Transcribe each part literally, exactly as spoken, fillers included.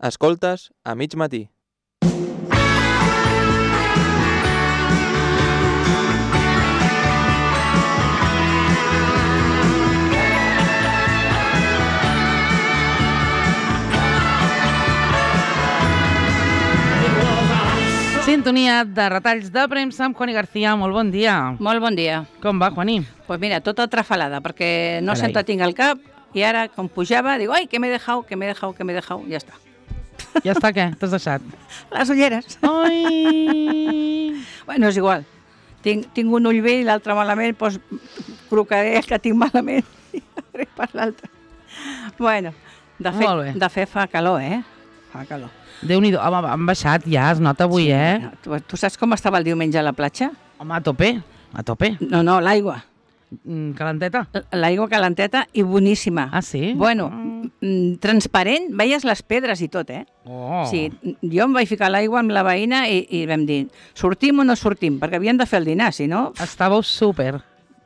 Escoltes a mig matí. Sintonia de retalls de premsa amb Juani García. Molt bon dia. Molt bon dia. Com va, Juani? Doncs pues mira, tota trafalada, perquè no Carai. sempre tinc al cap i ara, com pujava, dic, ai, que m'he dejado, que m'he dejado, que m'he dejado, ja està. Ja està, què? T'has deixat? Les ulleres. Ai! Bueno, és igual. Tinc, tinc un ull bé i l'altre malament, doncs crocaré el que tinc malament i faré per l'altre. Bueno, de fet, Molt bé. de fet fa calor, eh? Fa calor. Déu-n'hi-do. Home, han baixat ja, es nota avui, Sí, eh? no, tu, tu saps com estava el diumenge a la platja? Home, a tope, a tope. No, no, l'aigua. Mm, calenteta? L'aigua calenteta i boníssima. Ah, sí? Bueno, mm, transparent, veies les pedres i tot, eh? Oh. Sí, jo em vaig ficar a l'aigua amb la veïna i, i vam dir, sortim o no sortim? Perquè havien de fer el dinar, si no... Estàveu súper.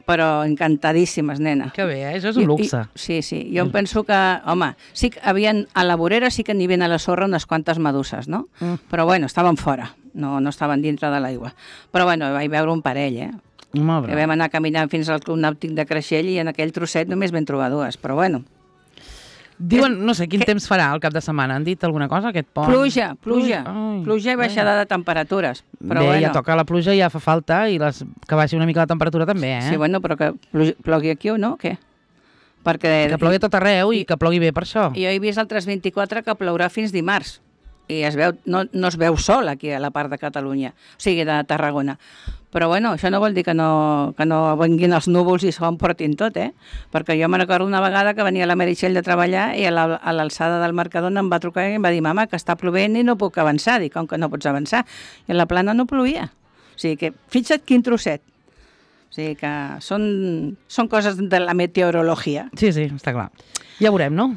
Però encantadíssimes, nena. Que bé, eh? Això és un luxe. I, i, sí, sí. Jo em penso que, home, sí que havien, a la vorera sí que n'hi havia a la sorra unes quantes meduses, no? Mm. Però bueno, estaven fora, no, no estaven dintre de l'aigua. Però bueno, vaig veure un parell, eh? Molt Que bé. vam anar caminant fins al Club Nàutic de Creixell i en aquell trosset només vam trobar dues, però bueno. Diuen, no sé, quin que- temps farà el cap de setmana. Han dit alguna cosa, aquest pont? Pluja, pluja, Ai, pluja i baixada de temperatures. Però Bé, bueno, ja toca la pluja, ja fa falta, i les... que baixi una mica la temperatura també, eh? sí, bueno, però que plu- plogui aquí o no, què? Perquè Que plogui a tot arreu i, i- que plogui bé per això. jo he vist al tres vint-i-quatre que plourà fins dimarts i es veu, no, no es veu sol aquí a la part de Catalunya, o sigui, de Tarragona. Però bueno, això no vol dir que no, que no venguin els núvols i s'ho emportin tot, eh? Perquè jo me recordo una vegada que venia la Meritxell de treballar i a la- a l'alçada del Mercadona em va trucar i em va dir, mama, que està plovent i no puc avançar. Dic, com que no pots avançar? I a la plana no plovia. O sigui que, fixa't quin trosset. O sigui que són, són coses de la meteorologia. Sí, sí, està clar. Ja veurem, no?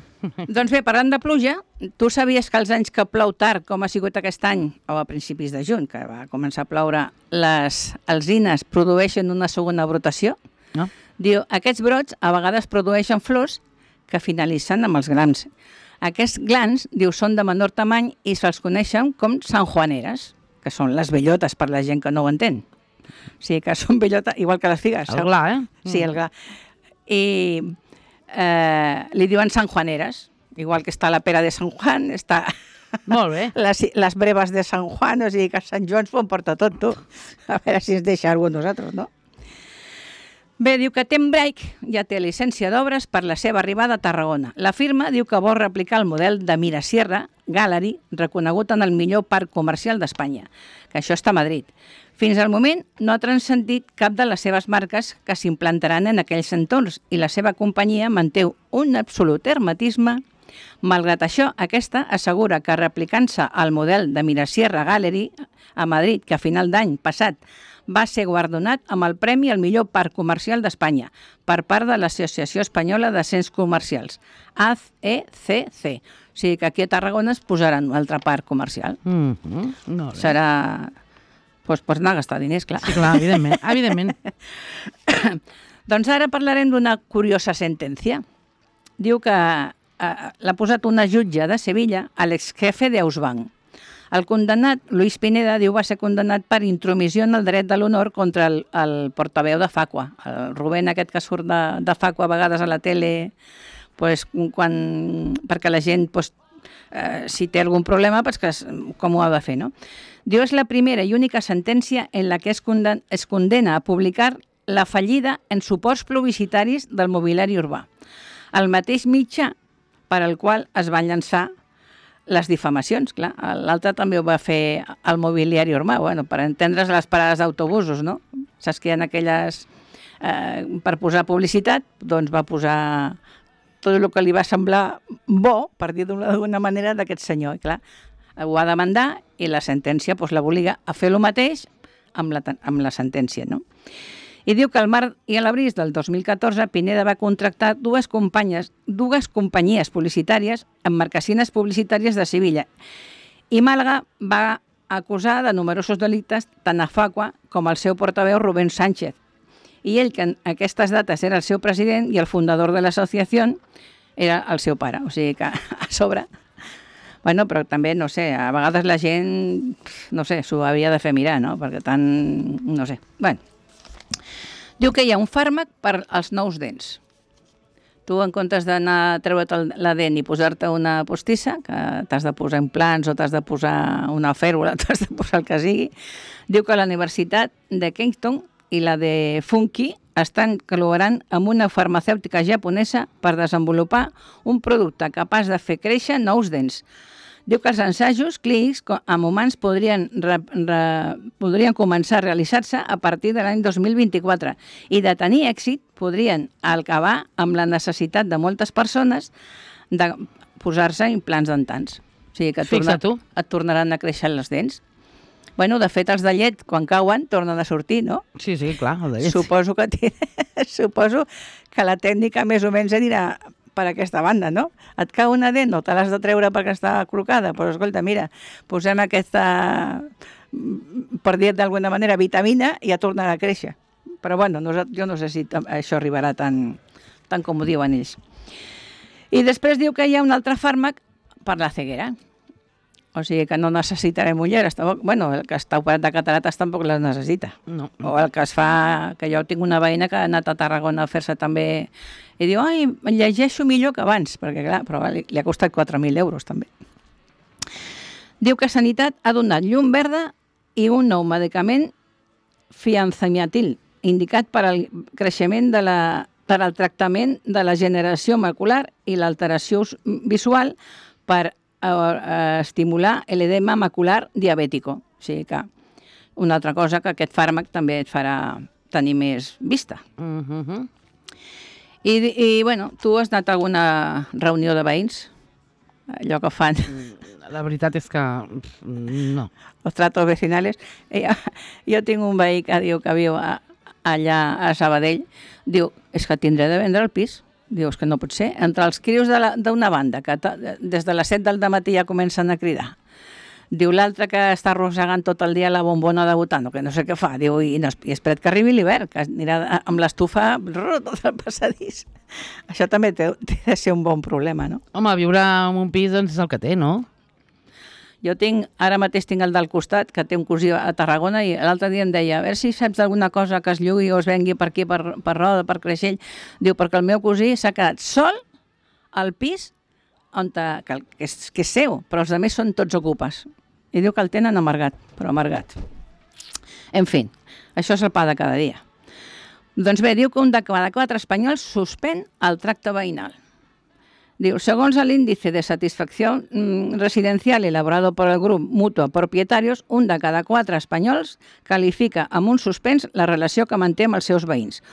Doncs bé, parlant de pluja, tu sabies que els anys que plou tard, com ha sigut aquest any, o a principis de juny, que va començar a ploure, les alzines produeixen una segona brotació? No? Diu, aquests brots a vegades produeixen flors que finalitzen amb els glans. Aquests glans, diu, són de menor tamany i se'ls coneixen com sanjuaneres, que són les bellotes per la gent que no ho entén. O sigui que són bellotes, igual que les figues. El gla, eh? Sí, el gla. I eh, li diuen sanjuaneres, igual que està la pera de Sant Juan, està Molt bé. les, les breves de Sant Juan, o sigui que Sant Joan s'ho emporta tot, tu. A veure si ens deixa algú nosaltres, no? Bé, diu que Tembrake ja té llicència d'obres per la seva arribada a Tarragona. La firma diu que vol replicar el model de Mirasierra Gallery, reconegut en el millor parc comercial d'Espanya, que això està a Madrid. Fins al moment no ha transcendit cap de les seves marques que s'implantaran en aquells entorns i la seva companyia manté un absolut hermetisme. Malgrat això, aquesta assegura que replicant-se al model de Mirasierra Gallery a Madrid, que a final d'any passat va ser guardonat amb el Premi al millor parc comercial d'Espanya per part de l'Associació Espanyola de Centres Comercials, A E C C. O sigui que aquí a Tarragona es posaran un altre parc comercial. Mm -hmm. Molt bé. Serà... Doncs pues anar a gastar diners, clar. Sí, clar, evidentment. evidentment. Doncs ara parlarem d'una curiosa sentència. Diu que eh, l'ha posat una jutge de Sevilla a l'exjefe d'Ausbank. El condemnat, Luis Pineda, diu va ser condemnat per intromissió en el dret de l'honor contra el, el portaveu de Facua, el Rubén aquest que surt de, de Facua a vegades a la tele, pues, quan, perquè la gent, pues, eh, si té algun problema, pues, que es, com ho ha de fer, no? Diu, és la primera i única sentència en la que es, conden, es condena a publicar la fallida en suports publicitaris del mobiliari urbà, el mateix mitjà per al qual es van llançar les difamacions, clar. L'altre també ho va fer al mobiliari urbà, bueno, per entendre's les parades d'autobusos, no? Saps que hi ha aquelles... Eh, per posar publicitat, doncs va posar tot el que li va semblar bo, per dir d'una manera, d'aquest senyor. I clar, ho ha de demandar i la sentència doncs, l'obliga a fer el mateix amb la, amb la sentència, no? I diu que al març i a l'abril del dos mil catorze Pineda va contractar dues companyes, dues companyies publicitàries amb marquesines publicitàries de Sevilla. I Màlaga va acusar de numerosos delictes tant a Facua com al seu portaveu Rubén Sánchez. I ell, que en aquestes dates era el seu president i el fundador de l'associació, era el seu pare. O sigui que a sobre Bueno, però també, no sé, a vegades la gent, no sé, s'ho havia de fer mirar, no? Perquè tant, no sé. Bueno, diu que hi ha un fàrmac per als nous dents. Tu, en comptes d'anar a treure't la dent i posar-te una postissa, que t'has de posar implants o t'has de posar una fèrula, t'has de posar el que sigui, diu que la Universitat de Kingston i la de Funky estan col·laborant amb una farmacèutica japonesa per desenvolupar un producte capaç de fer créixer nous dents. Diu que els ensajos clínics amb humans podrien, re, re, podrien començar a realitzar-se a partir de l'any dos mil vint-i-quatre i de tenir èxit podrien acabar amb la necessitat de moltes persones de posar-se implants dentals. O sigui que et, torna, et tornaran a créixer les dents. Bueno, de fet, els de llet, quan cauen, tornen a sortir, no? Sí, sí, clar, el de llet. Suposo que, suposo que la tècnica més o menys anirà per aquesta banda, no? Et cau una dent, no te l'has de treure perquè està crocada, però escolta, mira, posem aquesta, per dir d'alguna manera, vitamina i ja tornarà a créixer. Però bueno, no, jo no sé si això arribarà tan, tant com ho diuen ells. I després diu que hi ha un altre fàrmac per la ceguera. O sigui que no necessitarem ulleres. Bueno, el que està operat de catarates tampoc les necessita. No. O el que es fa, que jo tinc una veïna que ha anat a Tarragona a fer-se també i diu, ai, llegeixo millor que abans, perquè clar, però li, li ha costat quatre mil euros també. Diu que Sanitat ha donat llum verda i un nou medicament fianzamiatil, indicat per al creixement de la, per al tractament de la generació macular i l'alteració visual per a, a estimular l'edema macular diabètico. O sigui que una altra cosa que aquest fàrmac també et farà tenir més vista. Uh-huh. I, i bueno, tu has anat a alguna reunió de veïns? Allò que fan... La veritat és que no. Los tratos vecinales. Jo, jo tinc un veí que diu que viu a, allà a Sabadell. Diu, és que tindré de vendre el pis. Diu, és que no pot ser. Entre els crios d'una banda, que des de les set del matí ja comencen a cridar. Diu l'altre que està arrossegant tot el dia la bombona de butano, que no sé què fa. Diu, i, no, i espera't que arribi l'hivern, que anirà amb l'estufa tot el passadís. Això també té, té de ser un bon problema, no? Home, viure en un pis doncs és el que té, no? Jo tinc, ara mateix tinc el del costat, que té un cosí a Tarragona, i l'altre dia em deia, a veure si saps d'alguna cosa que es llugui o es vengui per aquí, per, per Roda, per Creixell. Diu, perquè el meu cosí s'ha quedat sol al pis on te, que, que, és, que és seu, però els altres són tots ocupes. I diu que el tenen amargat, però amargat. En fi, això és el pa de cada dia. Doncs bé, diu que un de cada quatre espanyols suspèn el tracte veïnal. Diu, segons l'índice de satisfacció residencial elaborado por el grup Mutua Propietarios, un de cada quatre espanyols qualifica amb un suspens la relació que manté amb els seus veïns.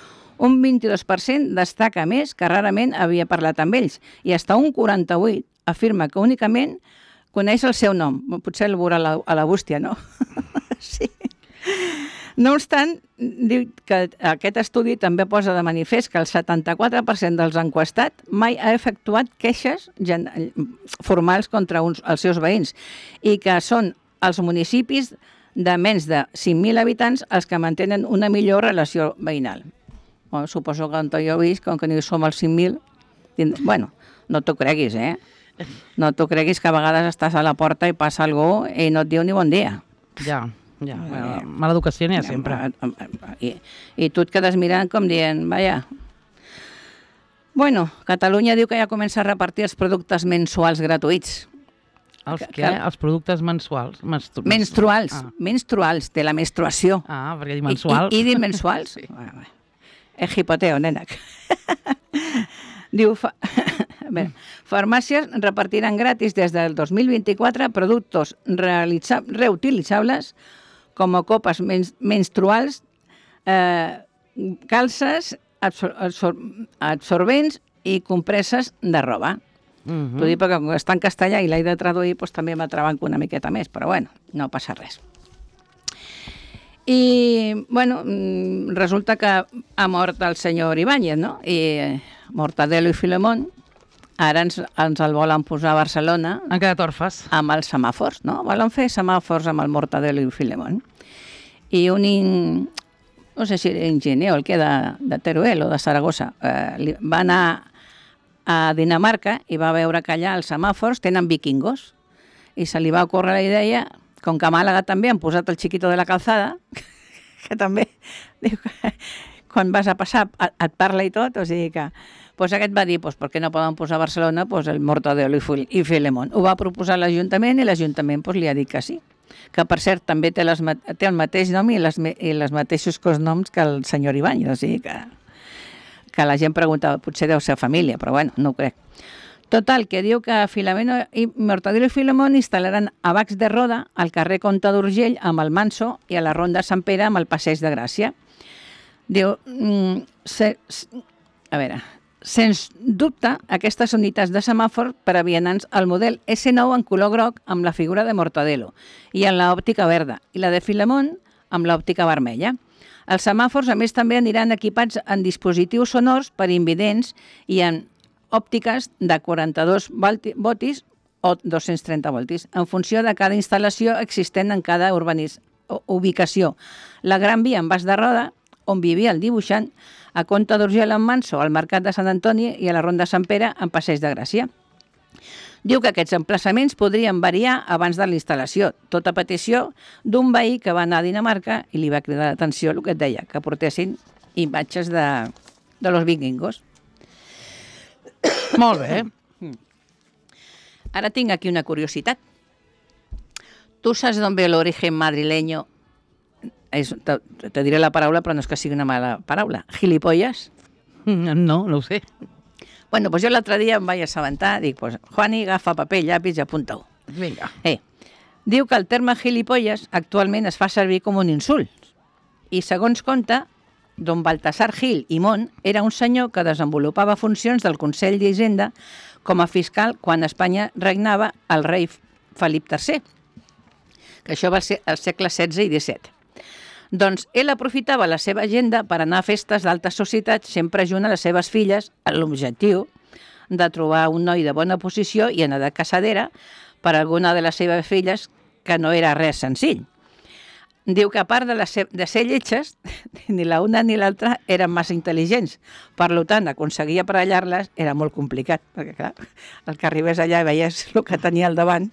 Un vint-i-dos per cent destaca més que rarament havia parlat amb ells i fins un quaranta-vuit per cent afirma que únicament coneix el seu nom. Potser el veurà a la, a la bústia, no? Sí. No obstant, diu que aquest estudi també posa de manifest que el setanta-quatre per cent dels enquestats mai ha efectuat queixes formals contra uns, els seus veïns i que són els municipis de menys de cinc mil habitants els que mantenen una millor relació veïnal. Bueno, suposo que on jo he vist, com que no som els cinc mil, bueno, no t'ho creguis, eh? No t'ho creguis que a vegades estàs a la porta i passa algú i no et diu ni bon dia. Ja. Ja, bueno, mala educació n'hi ha sempre. I, I tu et quedes mirant com dient, vaja. Bueno, Catalunya diu que ja comença a repartir els productes mensuals gratuïts. Els què? Que... Els productes mensuals? Menstru... Menstruals, ah. menstruals, de la menstruació. Ah, perquè dir mensual. I, i, i dir mensuals? Sí. Bueno, és hipoteo, nena. Diu... Fa... Bé, farmàcies repartiran gratis des del dos mil vint-i-quatre productes reutilitzables com a copes men menstruals, eh, calces, absor absor absorbents i compresses de roba. Uh -huh. T'ho dic perquè com està en castellà i l'he de traduir, doncs també m'atrabanco una miqueta més, però bueno, no passa res. I, bueno, resulta que ha mort el senyor Ibáñez, no? I Mortadelo i Filemón ara ens, ens el volen posar a Barcelona. Han quedat orfes. Amb els semàfors, no? Volen fer semàfors amb el Mortadelo i Filemón. I un, in, no sé si era enginyer o el que de, de Teruel o de Saragossa, eh, va anar a Dinamarca i va veure que allà els semàfors tenen vikingos. i se li va ocórrer la idea, com que a Màlaga també han posat el Chiquito de la Calzada, que també diu que quan vas a passar et parla i tot, o sigui que pues aquest va dir, pues, per què no poden posar a Barcelona pues, el Mortadelo i Filemón. Ho va proposar l'Ajuntament i l'Ajuntament pues, li ha dit que sí. Que, per cert, també té, les, té el mateix nom i les, i les mateixos cosnoms que el senyor Ibáñez, o sigui que, que la gent preguntava, potser deu ser família, però bueno, no ho crec. Total, que diu que Filemeno i Mortadelo i Filemón instal·laran a Bacs de Roda, al carrer Comte d'Urgell amb el Manso i a la Ronda Sant Pere amb el Passeig de Gràcia. Diu, mm, se, a veure, sens dubte, aquestes unitats de semàfor per a vianants al model esse nou en color groc amb la figura de Mortadelo i en l'òptica verda, i la de Filemón amb l'òptica vermella. Els semàfors, a més, també aniran equipats en dispositius sonors per invidents i en òptiques de quaranta-dos voltis o dos-cents trenta voltis, en funció de cada instal·lació existent en cada urbanis, ubicació. La Gran Via en Bas de Roda, on vivia el dibuixant, a Comte d'Urgell en Manso, al Mercat de Sant Antoni i a la Ronda Sant Pere en Passeig de Gràcia. Diu que aquests emplaçaments podrien variar abans de la instal·lació, tota petició d'un veí que va anar a Dinamarca i li va cridar l'atenció el que et deia, que portessin imatges de, de los vikingos. Molt bé. Ara tinc aquí una curiositat. ¿Tú sabes d'on ve l'origen madrileño? Es, te, te diré la paraula, però no és que sigui una mala paraula. Gilipollas. No, no ho sé. Bueno, pues jo l'altre dia em vaig assabentar, dic, pues, Juani, agafa paper, llapis i apunta-ho. Vinga. Eh, diu que el terme gilipolles actualment es fa servir com un insult. I segons conta, don Baltasar Gil i Mont era un senyor que desenvolupava funcions del Consell d'Hisenda com a fiscal quan a Espanya regnava el rei Felip tercer, que això va ser al segle setze i disset. Doncs ell aprofitava la seva agenda per anar a festes d'alta societat sempre junt a les seves filles amb l'objectiu de trobar un noi de bona posició i en edat casadera per a alguna de les seves filles, que no era res senzill. Diu que a part de, les, de ser lletges, ni la una ni l'altra eren massa intel·ligents. Per tant, aconseguir aparellar-les era molt complicat, perquè clar, el que arribés allà i veies el que tenia al davant,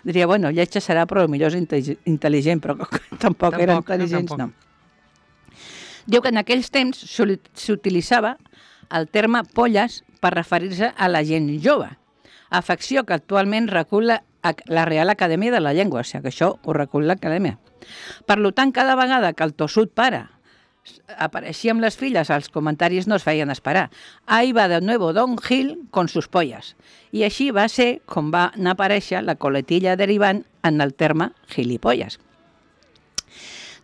diria, bueno, lletja serà, però potser és intel·ligent, però tampoc, tampoc eren intel·ligents, tampoc. No. Diu que en aquells temps s'utilitzava el terme polles per referir-se a la gent jove, afecció que actualment recull la, la Real Acadèmia de la Llengua, o sigui que això ho recull l'Acadèmia. Per tant, cada vegada que el tossut pare apareixia amb les filles, els comentaris no es feien esperar. Ahí va de nuevo Don Gil con sus pollas. I així va ser com va anar a aparèixer la coletilla derivant en el terme gilipolles.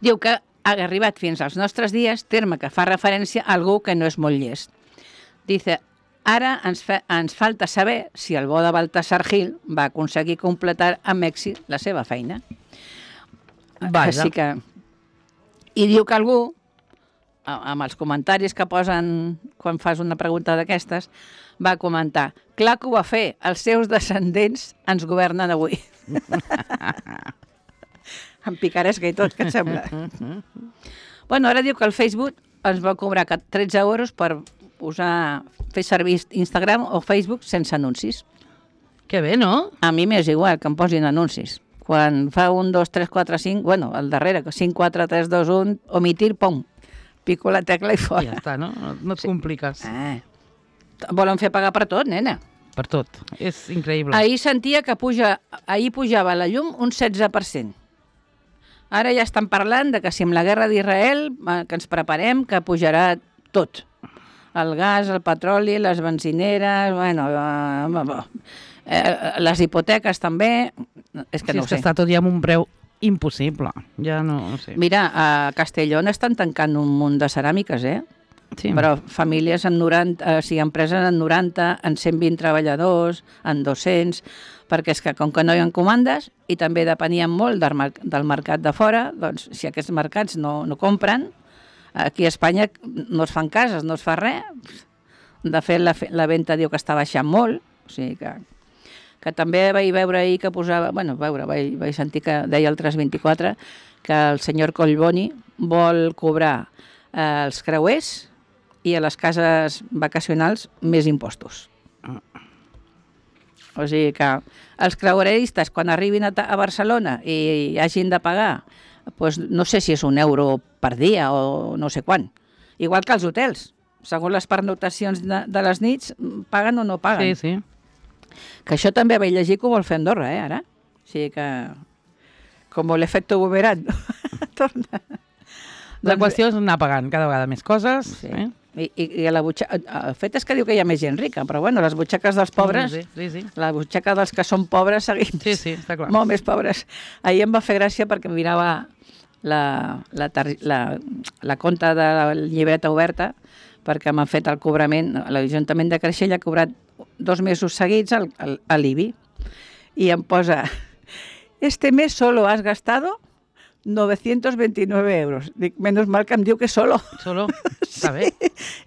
Diu que ha arribat fins als nostres dies, terme que fa referència a algú que no és molt llest. Dice, ara ens, fa, ens falta saber si el bo de Baltasar Gil va aconseguir completar amb èxit la seva feina. Vaja. Així que... I diu que algú, amb els comentaris que posen quan fas una pregunta d'aquestes, va comentar, clar que ho va fer, els seus descendents ens governen avui. Amb picaresca i tot, què et sembla? Bueno, ara diu que el Facebook ens va cobrar tretze euros per usar, fer servir Instagram o Facebook sense anuncis. Que bé, no? A mi m'és igual que em posin anuncis. Quan fa un, dos, tres, quatre, cinc, bueno, al darrere, cinc, quatre, tres, dos, un, omitir, pum, pico la tecla i fora. Ja està, no? No et sí. compliques. Ah. Volen fer pagar per tot, nena. Per tot. És increïble. Ahir sentia que puja, ahir pujava la llum un setze per cent. Ara ja estan parlant de que si amb la guerra d'Israel, que ens preparem, que pujarà tot. El gas, el petroli, les benzineres, bueno, eh, les hipoteques també, és que sí, no ho sé. És que està tot ja amb un preu impossible, ja no, no sé. Mira, a Castellón estan tancant un munt de ceràmiques, eh? Sí. Però famílies en noranta, o sigui, empreses en noranta, en cent vint treballadors, en dos-cents, perquè és que com que no hi ha comandes i també depenien molt del, mer del mercat de fora, doncs si aquests mercats no, no compren, aquí a Espanya no es fan cases, no es fa res. De fet, la, la venda diu que està baixant molt, o sigui que, que també vaig veure ahir que posava, bueno, veure, vaig, vaig sentir que deia el tres vint-i-quatre que el senyor Collboni vol cobrar eh, els creuers i a les cases vacacionals més impostos. O sigui que els creueristes, quan arribin a, a Barcelona i hagin de pagar, doncs no sé si és un euro per dia o no sé quant. Igual que els hotels. Segons les pernotacions de, de les nits, paguen o no paguen. Sí, sí. Que això també vaig llegir que ho vol fer Andorra, eh, ara. O sigui que, com l'efecte boomerang, torna. La qüestió és anar pagant cada vegada més coses. Sí. Eh? I, i, i la butxaca, el fet és que diu que hi ha més gent rica, però bueno, les butxaques dels pobres, Sí, sí, sí. la butxaca dels que són pobres seguim Sí, sí, està clar. molt més pobres. Ahir em va fer gràcia perquè mirava la, la, tar- la, la compta de la llibreta oberta perquè m'han fet el cobrament, l'Ajuntament de Creixell ha cobrat dos mesos seguits al, al, a l'I B I i em posa este mes solo has gastado novecientos veintinueve euros. Dic, menos mal que em diu que solo. Solo? Està bé.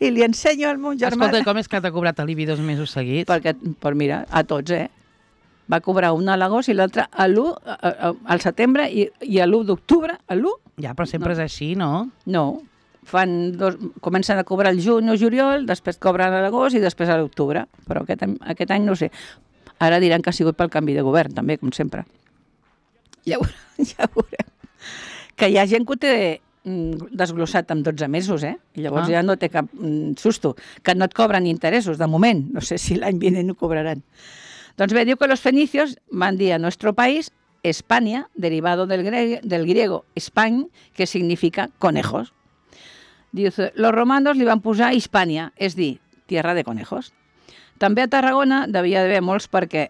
I li ensenyo al meu germà. Escolta, com és que t'ha cobrat l'I B I dos mesos seguits? Perquè, per mira, a tots, eh? Va cobrar un a l'agost i l'altre a l'u, al setembre i, i a l'u d'octubre, a l'u? Ja, però sempre No. és així, no? No. Fan dos, comencen a cobrar el juny o juliol, després cobren a l'agost i després a l'octubre. Però aquest, any- aquest any no ho sé. Ara diran que ha sigut pel canvi de govern, també, com sempre. Ja ho, ja ho veurem. Que hi ha gent que ho té mm, desglossat amb dotze mesos, eh? I llavors Ah. ja no té cap mm, susto. Que no et cobren interessos, de moment. No sé si l'any vinent ho cobraran. Doncs bé, diu que los fenicios van dir a nuestro país España, derivado del, gre del griego Españ, que significa conejos. Dice, los romanos li van posar Hispània, és dir, tierra de conejos. També a Tarragona devia d'haver molts perquè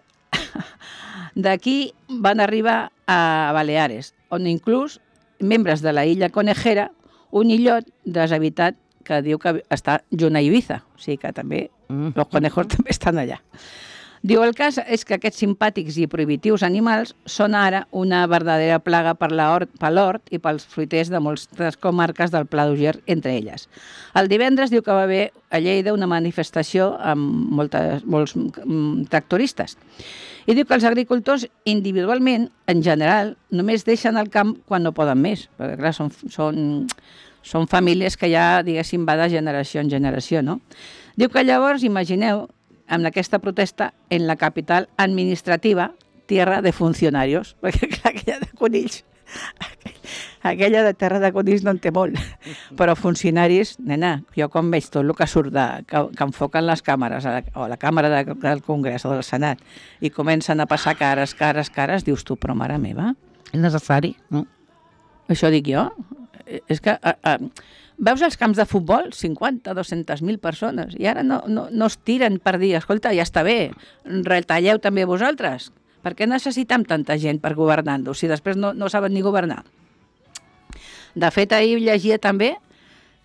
d'aquí van arribar a Baleares, on inclús membres de la illa Conejera, un illot deshabitat que diu que està junt a Ibiza, o sigui que també Mm. els conejos també estan allà. Diu, el cas és que aquests simpàtics i prohibitius animals són ara una verdadera plaga per l'hort per l'hort i pels fruiters de moltes comarques del Pla d'Uger, entre elles. El divendres diu que va haver a Lleida una manifestació amb moltes, molts mm, tractoristes. I diu que els agricultors individualment, en general, només deixen el camp quan no poden més, perquè clar, són, són, són famílies que ja, diguéssim, va de generació en generació, no? Diu que llavors, imagineu, amb aquesta protesta en la capital administrativa, tierra de funcionarios, perquè clar, aquella de conills, aquella de terra de conills no en té molt, però funcionaris, nena, jo quan veig tot el que surt de, que, que enfoquen les càmeres, a la, o a la càmera de, del Congrés o del Senat, i comencen a passar cares, cares, cares, dius tu, però mare meva, És necessari, no? això dic jo, és que... A, a, veus els camps de futbol? cinquanta, dues-centes mil persones. I ara no, no, no es tiren per dir, escolta, ja està bé, retalleu també vosaltres. Per què necessitem tanta gent per governar-nos si després no, no saben ni governar? De fet, ahir llegia també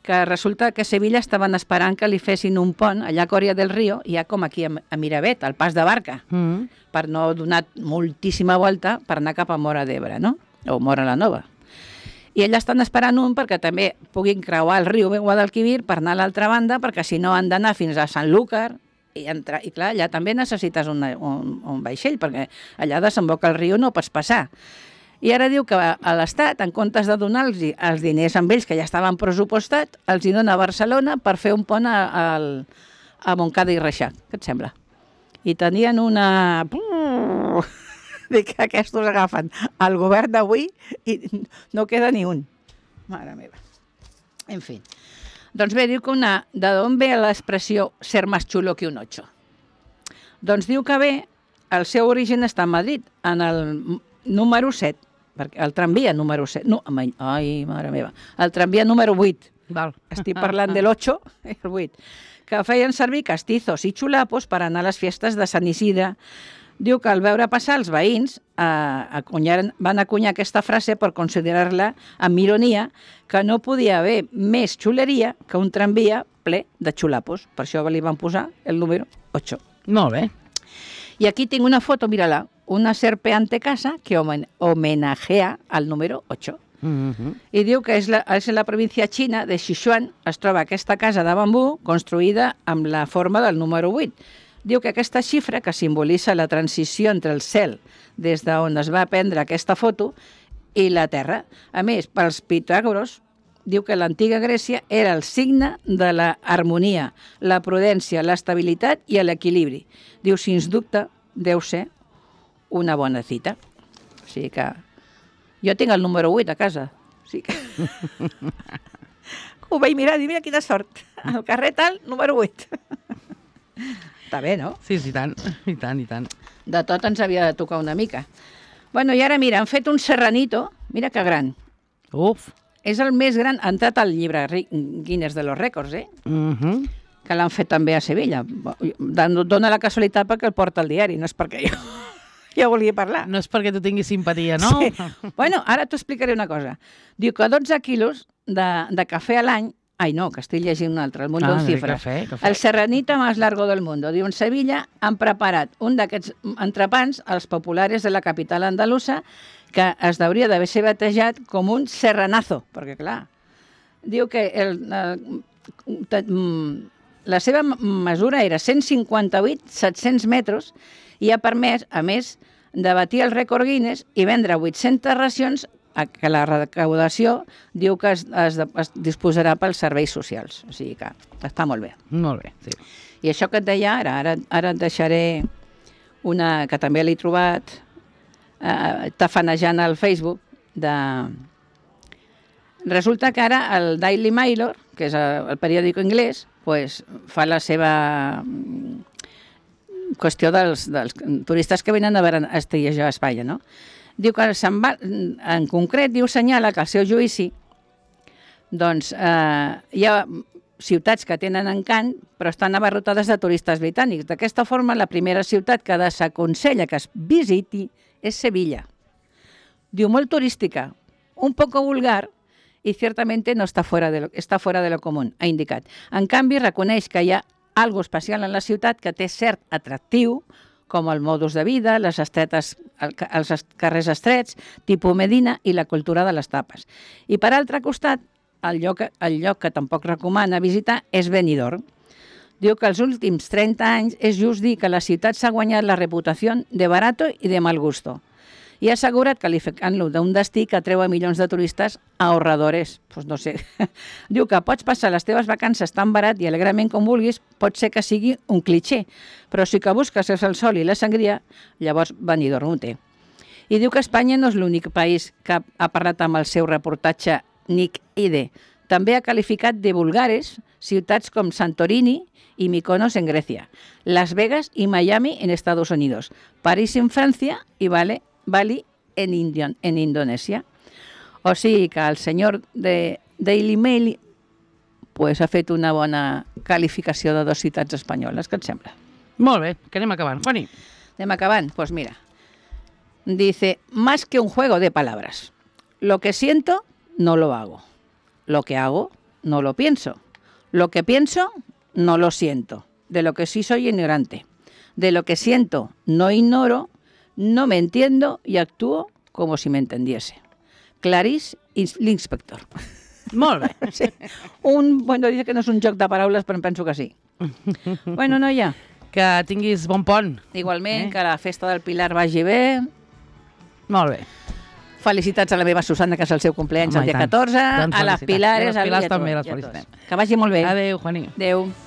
que resulta que a Sevilla estaven esperant que li fessin un pont allà a Coria del Río, ja com aquí a Miravet, al pas de barca, Mm. per no donar moltíssima volta per anar cap a Móra d'Ebre, no? O Móra la Nova. I allà estan esperant un perquè també puguin creuar el riu Guadalquivir per anar a l'altra banda, perquè si no han d'anar fins a Sanlúcar i, entrar, i clar, allà també necessites una, un, un vaixell, perquè allà desemboca el riu no pots passar. I ara diu que a l'Estat, en comptes de donar-los els diners amb ells que ja estaven pressupostats, els hi dona a Barcelona per fer un pont a, a, a Montcada i Reixac. Què et sembla? I tenien una... Dic que aquests agafen el govern d'avui i no queda ni un. Mare meva. En fi. Doncs bé, diu que una... De d'on ve l'expressió ser más chulo que un ocho? Doncs diu que ve, el seu origen està a Madrid, en el número set, perquè el tramvia número set... No, ai, mare meva. El tramvia número vuit. Val. Estic parlant de l'ocho, el vuit. Que feien servir castizos i xulapos per anar a les festes de Sant Isidre. Diu que al veure passar els veïns eh, acunyaren, van acunyar aquesta frase per considerar-la amb ironia que no podia haver més xuleria que un tramvia ple de xulapos. Per això li van posar el número ocho. Molt bé. I aquí tinc una foto, mírala, una serpeante casa que homen homenajea al número ocho. Mm-hmm. I diu que és, la, és la província xina de Sichuan, es troba aquesta casa de bambú construïda amb la forma del número vuit. Diu que aquesta xifra, que simbolitza la transició entre el cel, des d'on es va prendre aquesta foto, i la terra. A més, pels Pitàgoras, diu que l'antiga Grècia era el signe de la harmonia, la prudència, l'estabilitat i l'equilibri. Diu, sens dubte, deu ser una bona cita. O sigui que jo tinc el número vuit a casa. O sigui que... Ho vaig mirar i dir, mira quina sort. El carrer tal, número vuit. Està bé, no? Sí, sí, i tant, i tant, i tant. De tot ens havia de tocar una mica. Bueno, i ara mira, han fet un serranito, mira que gran. Uf. És el més gran, ha entrat al llibre Guinness de los Rècords, eh? Uh -huh. Que l'han fet també a Sevilla. Dóna la casualitat perquè el porta al diari, no és perquè jo, jo volia parlar. No és perquè tu tinguis simpatia, no? Sí. Bueno, ara t'ho explicaré una cosa. Diu que dotze quilos de, de cafè a l'any. Ai, no, que estic llegint un altre, el Mundo Ah, en de Cifras. cafè, cafè. El serranito más largo del mundo. Diu, en Sevilla han preparat un d'aquests entrepans, els populares de la capital andalusa, que es hauria d'haver ser batejat com un serranazo, perquè, clar, diu que el, el, la seva mesura era cent cinquanta-vuit coma set-cents metres i ha permès, a més, de batir el rècord Guinness i vendre vuit-centes racions que la recaudació diu que es, es, es disposarà pels serveis socials. O sigui que està molt bé. Molt bé, sí. I això que et deia ara, ara, ara et deixaré una que també l'he trobat eh, tafanejant al Facebook. De... Resulta que ara el Daily Mail, que és el, el periòdic anglès, pues, fa la seva qüestió dels, dels turistes que venen a veure a estejar a Espanya, no? Diu que se'n va, en concret, diu, senyala que al seu judici doncs eh, hi ha ciutats que tenen encant però estan abarrotades de turistes britànics. D'aquesta forma, la primera ciutat que desaconsella que es visiti és Sevilla. Diu, molt turística, un poco vulgar i ciertamente no està fuera de lo, està fuera de lo común, ha indicat. En canvi, reconeix que hi ha algo especial en la ciutat que té cert atractiu, com el modus de vida, les estretes, els carrers estrets, tipus Medina i la cultura de les tapes. I per altre costat, el lloc, el lloc que tampoc recomana visitar és Benidorm. Diu que els últims trenta anys és just dir que la ciutat s'ha guanyat la reputació de barato i de mal gusto. I ha assegurat, qualificant-lo d'un destí que atreu a milions de turistes ahorradores. Pues no sé. Diu que pots passar les teves vacances tan barat i alegrament com vulguis, pot ser que sigui un cliché, però si que busques el sol i la sangria, llavors Benidorm ho té. I diu que Espanya no és l'únic país que ha parlat amb el seu reportatge Nick Ide. També ha qualificat de vulgares ciutats com Santorini y Mykonos en Grecia, Las Vegas y Miami en Estados Unidos, París en Francia y Bali, Bali en, Indion, en Indonèsia. O sigui que el senyor de Daily Mail pues, ha fet una bona calificació de dues ciutats espanyoles. Què et sembla? Molt bé, que anem acabant. Juani. Anem acabant? Pues mira, dice, más que un juego de palabras, lo que siento no lo hago, lo que hago no lo pienso, lo que pienso no lo siento, de lo que sí soy ignorante, de lo que siento no ignoro, no me entiendo y actúo como si me entendiese. Clarice l'Inspector. Molt bé. Sí. Un, bueno, dice que no és un joc de paraules, però em penso que sí. Bueno, noia. Que tinguis bon pont. Igualment, Eh? que la festa del Pilar vagi bé. Molt bé. Felicitats a la meva Susana, que és el seu cumpleaños Home, el i dia tant. catorze, Doncs a les felicitats. Pilares, I a les Pilars a- i a també tots, les i a tots. felicitem. Que vagi molt bé. Adéu, Juani. Adéu.